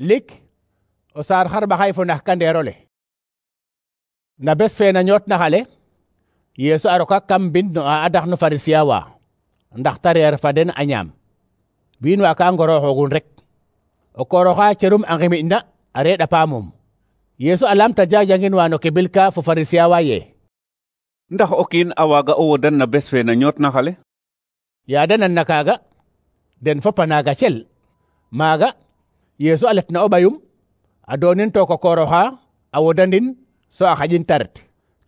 lik o saar xarɓaxay fo nax kandeerole. Na bes fe na ñoot na xale Yeesu a roka kam mbind no a adax no Farisiya wa ndax ta reer fa den a ñaam. wiin wa ka ngorooxogun rek. o kooroxa cerum a ngimiʼ na a reeɗa paamum. Yeesu a lamta jajangin wa no kebil ka fo Farisiya wa ye ndax o kiin a waaga o wodan na bes fe na ñoot na xale? yaada nan na kaaga den fop a naaga cel. maaga Yeesu a letna o ɓayum a doonin to ko kooroxa a wodandin so a xaƴin ta ret.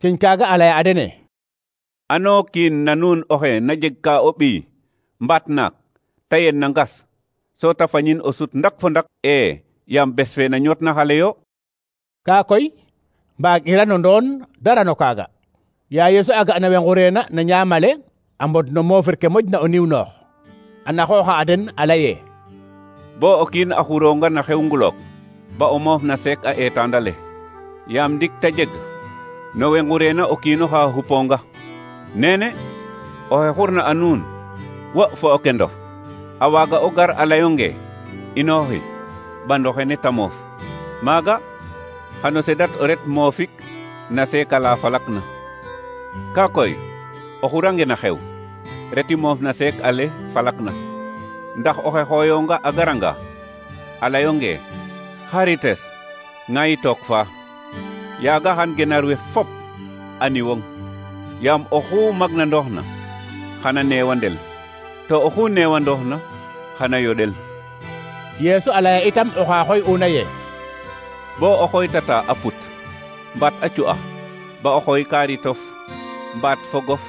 ciñ kaaga a laya a dene: ano kiin na nuun oxe na jeg ka o ɓiy mbaat naak ta yen na ngas so ta fañin o sut ndak fo ndak yaam bes fe na ñoot na xale yo? kaa koy mbaag'ira no ndoon dara no kaaga. yaa Yeesu a ga'na we ngureena na ñaamale a mbod no moofir ke moƴna o niw noox a naxooxa a den a laye: bo o kiin a xuronga na xew ngulok ba o moof na seek a eetandale yaam ndik ta jeg no we ngureena o kiinoxa xuponga. nene oxe xurna a nuun wo fo o kendof a waaga o gar a layonge inooxi bandoxene ta moof. maaga xano sedat o ret moofik na seekala falak na. ka koy o xurange na xew reti moof na seek ale falak na. ndax oxe xooyonga a garanga a layonge xarites ŋayi took fa yaaga xan genar we fop a niwong yaam oxu magna ndoox na xana neewandel to oxu neewandoox na xana yoɗel. Yeesu a laya itam oxa xooy'una ye: bo o xooytata a put mbaat a cu'ax ba o xooy kaaritof mbaat fogof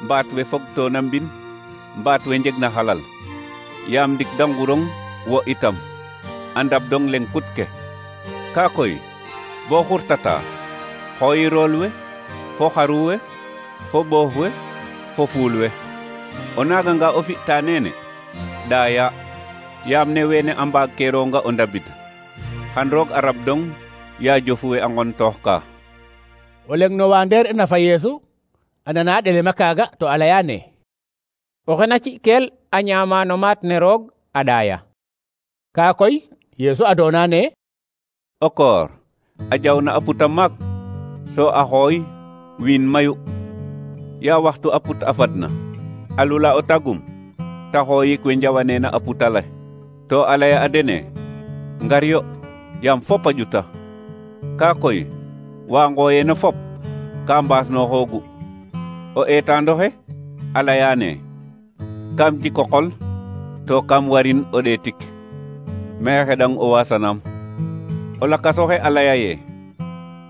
mbaat we fogtoona mbin mbaat we njegna xalal yaam ndik da ngurong wo itam a ndabdong leng put ke. ka koy bo xurtata xooyi rool we fo xaru we fo ɓoof we fo fuul we. o naaganga o fi'ta neene ɗaaya yaam ne wene a mbaag keeronga o ndabid xan roog a rabdong yaa jofu we a ngontoox ka. o leng no wa ndeer ina fa Yeesu a nana ɗelema kaaga to a layane: oxe na ci'kel a ñaama no maat ne roog a ɗaaya. kaa koy Yeesu a doona ne: o koor a jawna a puta maak so a xooy wiin mayu yaa waxtu a put a fadna a lula o tagum ta xooyik we njawaneena a putale to a laya a dene: ngar yo yaam fop a ƴuta. kaa koy wa ngooyeena fop ka mbaasnooxoogu. o eetandoxe a layaane: kam jiko qol to kam warin o ɗeetik mais xeɗang o waasanaam. o lakasoxe a laya ye: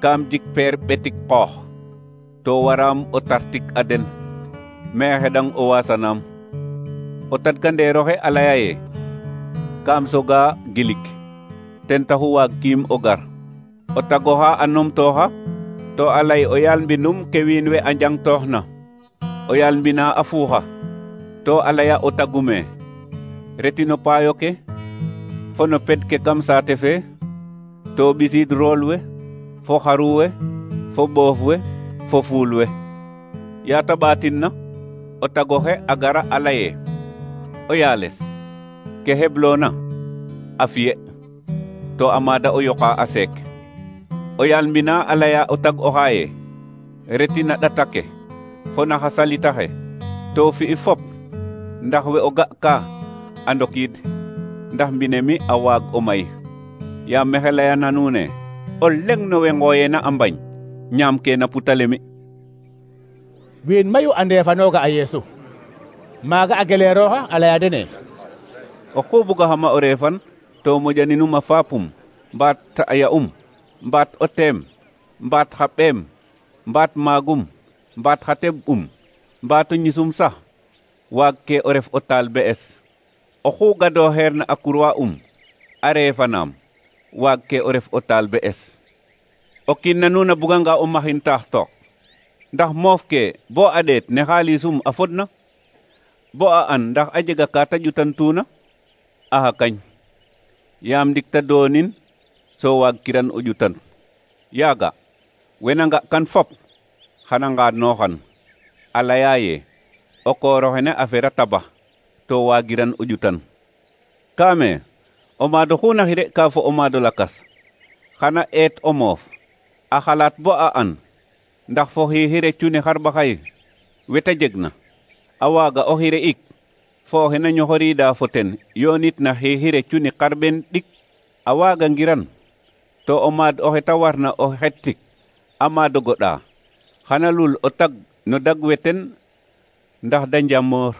kam jik peer ɓetik qoox to waraam o tartik a den mais xeɗang o waasanaam. o tadkandeeroxe a laya ye: kam soga gilik ten taxu waag kiim o gar. o tagoxa a numtooxa to a lay o yaal mbinum ke wiin we a njangtooxna. o yaal mbina a fuuxa to a laya o tagume reti no paayo ke fo no ped ke kam saate fe to ɓisiid rool we fo xaru we fo ɓoof we fo fuul we. yaa ta ɓaatin na o tagoxe a gara a laye: o yaales ke hebloona a fiye to a maada o yoqa a seek. o yaal mbina a laya o tag oxaaye: reti na ɗata ke fo na xa salitaxe to fi'i fop ndax we o ga ka a ndokiid ndax mbine mi a waag o may. yaam mexe layana nuune o leng no we ngooyeena a mbañ ñaam ke na putale mi. wiin mayu a ndeefanooga a Yeesu. maaga a geleerooxa a laya dene: oxu bugaxama o reefan to moƴaninum a faapum mbaat a ya'um mbaat o teem mbaat xa ɓeem mbaat maagum mbaat xa teɓ'um mbaat o ñisum sax waag ke o ref o talbe'es. oxu gadooxeerna a kurwa a reefanaam waag ke o ref o talbe'es. o kiin na nuun a buganga o maxin taax took ndax moof ke bo a ɗeet ne xaalisum a fodna bo a an ndax a jega ka ta ƴutantuuna. axa kañ yaam ndik ta doonin so waag kiran o ƴutan. yaaga wena nga kan fop xana ngaadnooxan a laya ye o kooroxene a fera tabax to waagiran o ƴutan. kaame o maado xuna xire ka fo o maado lakas xana eet o moof a xalaat bo a an ndax fo xire cuni xarɓaxay weta jeg na a waaga o xire ik fo xena ñoxorida fo ten yoonit na xire cuni xarɓen ɗik a waaga ngiran to o maad oxe ta warna o xettik a maado goɗa xana lul o tag no dag we ten ndax da njamoor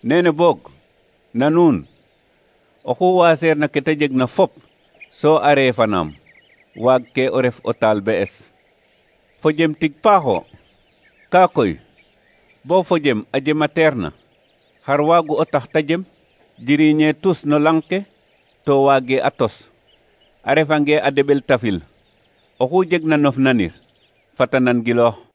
nene boog na nuun oxu waaseer na ke ta jeg na fop so a reefanaam waag ke o ref o taal be'es fo jem tig paaxo ka koy bo fo jem a jema teer na xar waagu o tax ta jem jiriñe tus no lang ke to waage a tos a refange a deɓel tafil oxu jeg na nof nanir fata nan giloox